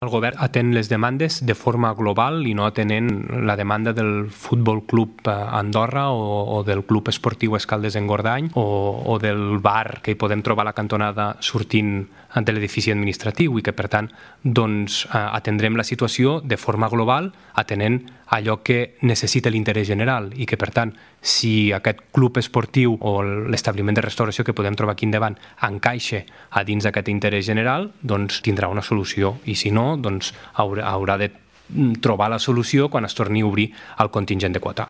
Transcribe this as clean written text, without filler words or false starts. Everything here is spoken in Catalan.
El govern atén les demandes de forma global i no atenent la demanda del Futbol Club Andorra o del Club Esportiu Escaldes-Engordany o del bar que hi podem trobar a la cantonada sortint de l'edifici administratiu i que, per tant, atendrem la situació de forma global atenent allò que necessita l'interès general i que, per tant, si aquest club esportiu o l'establiment de restauració que podem trobar aquí endavant encaixa a dins d'aquest interès general, doncs tindrà una solució i si no, doncs haurà de trobar la solució quan es torni a obrir el contingent de quota.